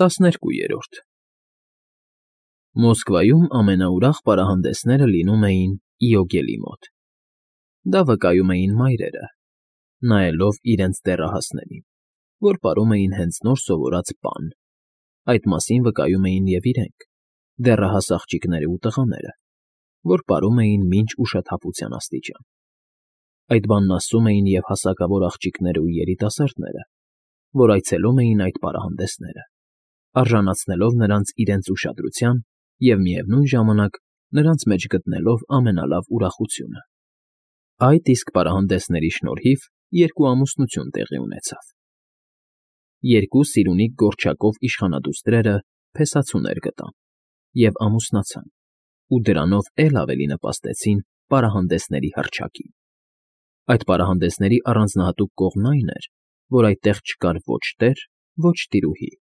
12-րդ Մոսկվայում ամենաուրախ պարահանդեսները լինում էին Իոգելի մոտ. դա վկայում էին մայրերը, նայելով իրենց դեռահասներին, որ պարում էին հենց նոր սովորած բան. այդ մասին վկայում էին և իրենք, դեռահաս աղջիկները ու տղաները, որ պարում էին մինչ ուշաթափության աստիճան. այդ բանն ասում էին և հասակավոր աղջիկները ու երիտասարդները, որ այցելում էին այդ պարահանդեսները, արժանացնելով նրանց իրենց ուշադրության և, միևնույն ժամանակ, նրանց մեջ գտնելով ամենալավ ուրախությունը. այդ իսկ պարահանդեսների շնորհիվ երկու ամուսնություն տեղի ունեցավ. երկու սիրունիկ գորչակով իշխանադուստրերը փեսացուներ գտան և ամուսնացան, ու դրանով էլ ավելի նպաստեցին պարահանդեսների հռչակին. այդ պարահանդեսների առանձնահատուկ կողմն այն էր, որ այդտեղ չկար ոչ տեր, ոչ տիրուհի,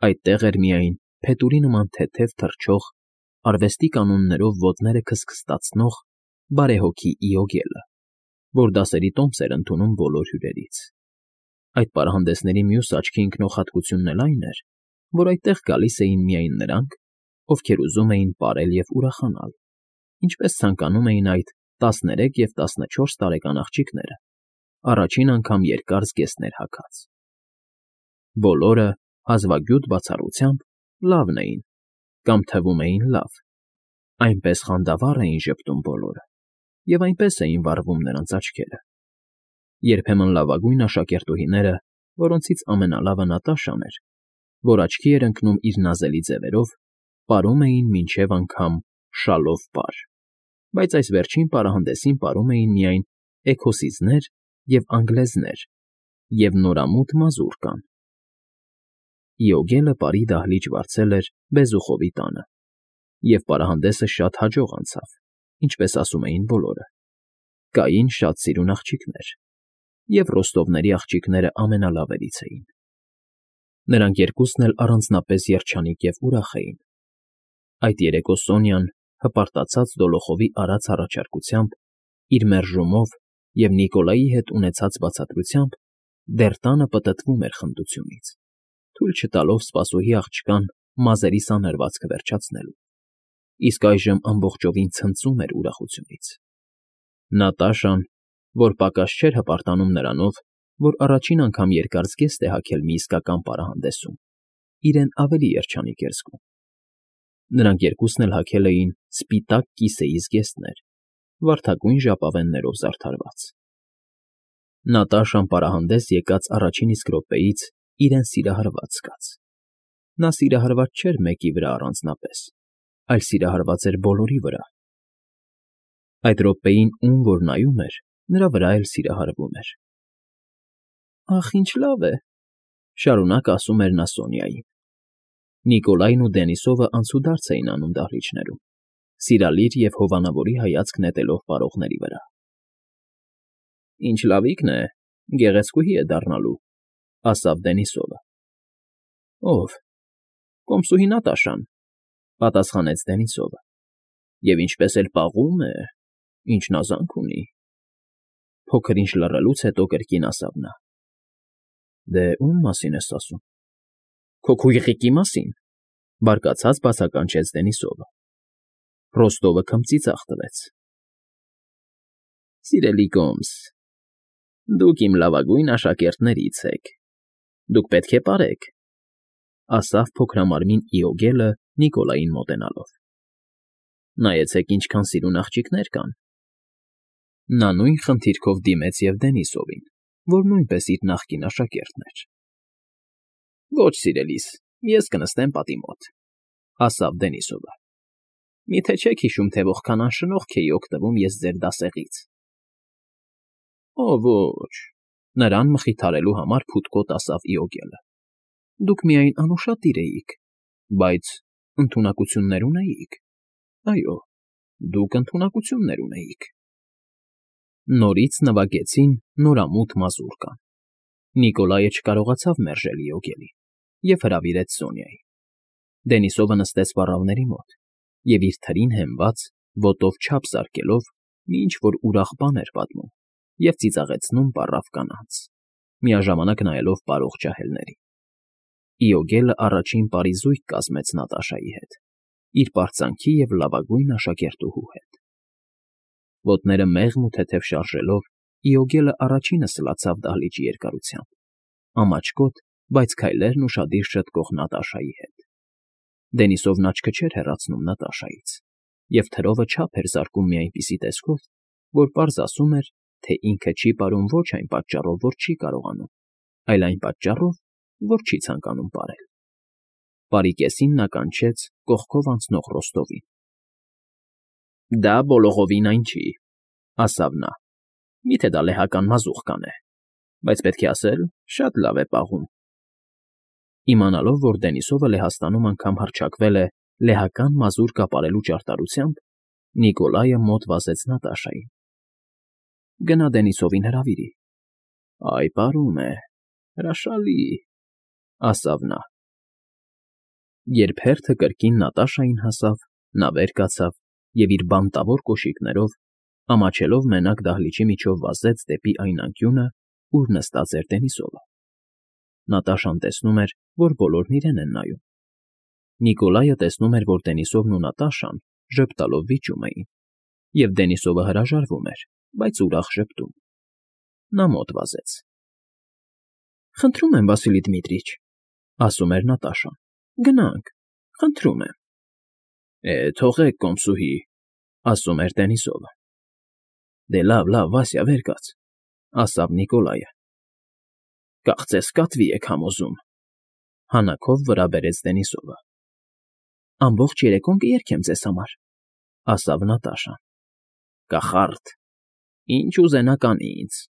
այդտեղ էր միայն փետուրի նման թեթև թռչող, արվեստի կանոններով ոտները քստքստացնող բարեհոգի Իոգելը, որ դասերի տոմս էր ընդունում բոլոր հյուրերից. այդ պարահանդեսների մյուս աչքի ընկնող հատկությունն էլ այն էր, որ այդտեղ գալիս էին միայն նրանք, ովքեր ուզում էին պարել և ուրախանալ, ինչպես ցանկանում էին այդ 13 և 14 տարեկան աղջիկները, առաջին անգամ երկար զգեստներ հագած. բոլորը, հազվագյուտ բացառությամբ, լավն էին կամ թվում էին լավ, այնպես խանդավառ էին ժպտում բոլորը և այնպես էին վառվում նրանց աչքերը. երբեմն լավագույն աշակերտուհիները, որոնցից ամենալավը Նատաշան էր, որ աչքի էր ընկնում իր նազելի ձևերով, պարում էին մինչև անգամ շալով պար, բայց այս վերջին պարահանդեսին պարում էին միայն էքոսիզներ և անգլեզներ և նորամուտ մազուրկան. Իոգելը պարի դահլիճ վարձել էր Բեզուխովի տանը, և պարահանդեսը շատ հաջող անցավ, ինչպես ասում էին բոլորը. կային շատ սիրուն աղջիկներ, և ռոստովների աղջիկները ամենալավերից էին. նրանք երկուսն էլ առանձնապես երջանիկ և ուրախ էին. այդ երեկո Սոնյան, հպարտացած Դոլոխովի արած առաջարկությամբ, իր մերժումով և Նիկոլայի հետ ունեցած բացատրությամբ, դեռ տանը պտտվում էր խնդությունից, թույլ չտալով սպասուհի աղջկան մազերի սանրվածքը վերջացնելու, իսկ այժմ ամբողջովին ցնծում էր ուրախությունից. Նատաշան, որ պակաս չէր հպարտանում նրանով, որ առաջին անգամ երկար զգեստ է հագել մի իսկական պարահանդեսում, իրեն ավելի երջանիկ էր զգում. նրանք երկուսն էլ հագել էին սպիտակ կիսեի զգեստներ, վարդագույն ժապավեններով զարդարված. Նատաշան պարահանդես եկած առաջին իսկ րոպեից իրեն սիրահարված զգաց. նա սիրահարված չէր մեկի վրա առանձնապես, այլ սիրահարված էր բոլորի վրա. այդ րոպեին ում որ նայում էր, նրա վրա էլ սիրահարվում էր. «Ախ, ինչ լավ է», շարունակ ասում էր նա Սոնյային. Նիկոլայն ու Դենիսովը անցուդարձ էին անում դահլիճներում, սիրալիր և հովանավորի հայացք նետելով պարողների վրա. «Ինչ լավիկն է, գեղեցկուհի է դառնալու», ասավ Դենիսովը։ «Ո՞վ»։ «Կոմսուհի Նատաշան», պատասխանեց Դենիսովը։ «Եվ ինչպես էլ պաղում է, ինչ նազանք ունի»։ Փոքր-ինչ լռելուց հետո կրկին ասավ նա. «Դե ո՞ւմ մասին ես ասում»։ «Քո քույրիկի մասին», բարկացած բացականչեց Դենիսովը։ Ռոստովը քմծիծաղ տվեց. «Սիրելի կոմս, դուք իմ լավագույն աշակերտներից եք, դուք պետք է պարեք», ասավ փոքրամարմին Իոգելը Նիկոլային մոտենալով։ «Նայեցեք ինչքան սիրուն աղջիկներ կան»։ Նա նույն խնդիրքով դիմեց և Դենիսովին, որ նույնպես իր նախկին աշակերտն էր։ «Ոչ, սիրելիս, ես կնստեմ պատի մոտ», ասավ Դենիսովը։ «Մի՞թե չեք հիշում, թե որքան անշնորհք էի օգտվում ես ձեր դասեղից»։ «Օ ոչ», նրան մխիթարելու համար փութկոտ ասավ Իոգելը։ «Դուք միայն անուշադիր էիք, բայց ընդունակություններ ունեիք։ Այո, դուք ընդունակություններ ունեիք»։ Նորից նվագեցին նորամուտ մազուրկան. Նիկոլայը չկարողացավ մերժել Իոգելին և հրավիրեց Սոնյային։ Դենիսովը նստեց պառավների մոտ և իր թրին հենված, ոտով չափ զարկելով, մի ինչ֊որ ուրախ բան էր պատմում և ծիծաղեցնում պառավ կանանց, միաժամանակ նայելով պարող ջահելներին։ Իոգելը առաջին պարի զույգ կազմեց Նատաշայի հետ, իր պարծանքի և լավագույն աշակերտուհու հետ։ Ոտները մեղմ ու թեթև շարժելով, Իոգելը առաջինը սլացավ դահլիճի երկարությամբ, ամաչկոտ, բայց քայլերն ուշադիր շտկող Նատաշայի հետ։ Դենիսովն աչքը չէր հեռացնում Նատաշայից, և թրովը չափ էր զարկում մի այնպիսի տեսքով, որ պարզ ասում էր, թե ինքը չի պարում ոչ այն պատճառով, որ չի կարողանում, այլ այն պատճառով, որ չի ցանկանում պարել։ Պարի կեսին նա կանչեց կողքով անցնող Ռոստովին։ ֊ Դա բոլորովին այն չի,֊ ասավ նա։֊ Միթե դա լեհական մազուխ կանե, բայց պետք է ասել, շատ լավ է պաղում։ Իմանալով, որ Դենիսովը Լեհաստանում անգամ հռչակվել է լեհական մազուր կապարելու ճարտարությամբ, Նիկոլայը մոտ վազեց Նատաշային։ ֊ Գնա Դենիսովին հրավիրի։ ֊ Այ, պարում է, հրաշալի,֊ ասավ նա։ Երբ հերթը կրկին Նատաշային հասավ, նա վեր կացավ և իր բանտավոր կոշիկներով, ամաչելով մենակ դահլիճի միջով վազեց դեպի այն անկյունը, ուր նստած էր Դենիսովը։ Նատաշան տեսնում էր, որ բոլորն իրեն են նայում։ Նիկոլայը տեսնում էր, որ Դենիսովն ու Նատաշան ժպտալով վիճում էին, և Դենիսովը հրաժարվում էր, բայց ուրախ ժպտում։ Նա մոտ վազեց։ ֊ Խնդրում եմ, Վասիլի Դմիտրիչ,֊ ասում էր Նատաշան,֊ գնանք, խնդրում եմ։ ֊ Թողեք, կոմսուհի,֊ ասում էր Դենիսովը։ ֊ Դե լավ, լավ, Վասյա, վեր կաց,֊ ասավ Նիկոլայը։ ֊ Կարծես կատվի եք համոզում,֊ հանաքով վրա բերեց Դենիսովը։ ֊ Ամբողջ երեկոն կերգեմ ձեզ համար,֊ ասավ Նատաշան։ ֊ Կախարդ, ինչ ուզենաք անի ինձ,֊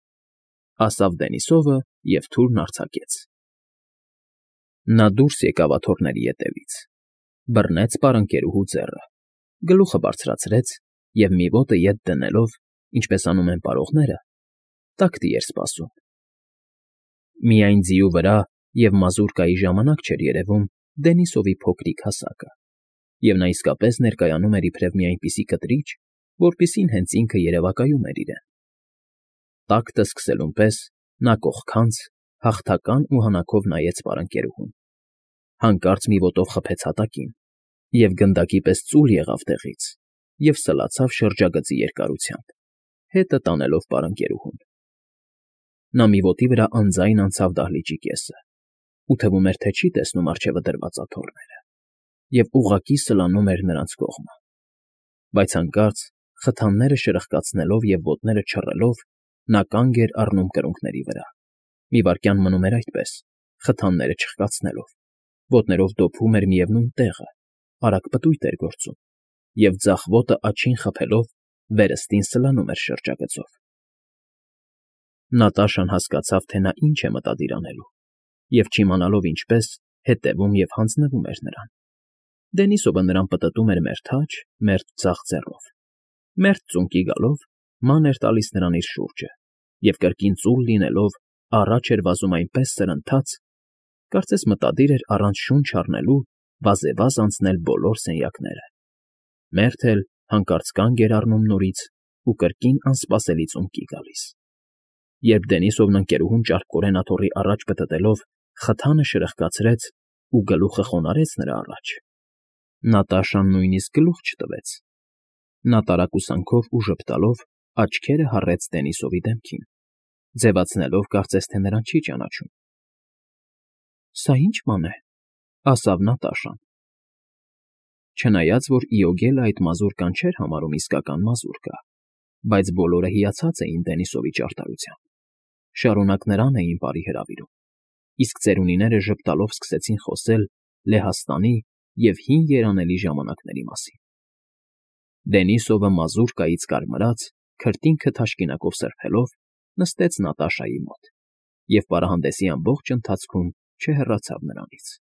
ասավ Դենիսովը և թուրն արձակեց։ Նա դուրս եկավ աթոռների ետևից, բռնեց պարընկերուհու ձեռը, գլուխը բարձրացրեց և մի ոտը ետ դնելով, ինչպես անում են պարողները, տակտի էր սպասում։ Միայն ձիու վրա և մազուրկայի ժամանակ չէր երևում Դենիսովի փոքրիկ հասակը, և նա իսկապես ներկայանում էր իբրև մի այնպիսի կտրիչ, որպիսին հենց ինքը երևակայում էր իրեն։ Տակտը սկսելուն պես նա կողքանց, հաղթական ու հանաքով նայեց պարընկերուհուն, հանկարծ մի ոտով խփեց հատակին և գնդակի պես ծուլ եղավ տեղից և սլացավ շրջագծի երկարությամբ, հետը տանելով պարընկերուհուն։ Նա մի ոտի վրա անձայն անցավ դահլիճի կեսը ու թվում էր, թե չի տեսնում առջևը դրված աթոռները և ուղղակի սլանում էր նրանց կողմը։ Բայց հանկարծ, խթանները շրխկացնելով և ոտները չռելով, նա կանգ էր առնում կրունկների վրա, մի վայրկյան մնում էր այդպես, խթանները չխկացնելով, ոտներով դոփում էր միևնույն տեղը, արագ պտույտ էր գործում, և ձախ ոտը աջին խփելով վերստին սլանում էր շրջագծով։ Նատաշան հասկացավ, թե նա ինչ է մտադիր անելու, և չիմանալով ինչպես, հետևում և հանձնվում էր նրան։ Դենիսովը նրան պտտում էր մերթ աջ, մերթ ձախ ձեռով, մերթ ծունկի գալով ման էր տալիս նրան իր շուրջը և կրկին ծուլ լինելով առաջ էր վազում այնպես սրընթաց, կարծես մտադիր էր առանց շունչ առնելու վազեվազ անցնել բոլոր սենյակները, մերթ էլ հանկարծ կանգ էր առնում նորից ու կրկին անսպասելի ծունկի գալիս։ Երբ Դենիսովն ընկերուհուն ճարպկորեն աթոռի առաջ պտտելով խթանը շրխկացրեց ու գլուխը խոնարհեց նրա առաջ, Նատաշան նույնիսկ գլուխ չտվեց։ Նա տարակուսանքով ու ժպտալով աչքերը հառեց Դենիսովի դեմքին, ձևացնելով, կարծես թե նրան չի ճանաչում։ ֊ Սա ի՞նչ բան է,֊ ասավ Նատաշան։ Չնայած որ Իոգելը այդ մազուրկան չէր համարում իսկական մազուրկա, բայց բոլորը հիացած էին Դենիսովի ճարտարությամբ, շարունակ նրան էին բարի հրավիրում, իսկ ծերունիները ժպտալով սկսեցին խոսել Լեհաստանի և հին երանելի ժամանակների մասին։ Դենիսովը մազուրկայից կարմրած, քրտինքը թաշկինակով սրբելով, նստեց Նատաշայի մոտ և պարահանդեսի ամբողջ ընթացքում չհեռացավ նրանից։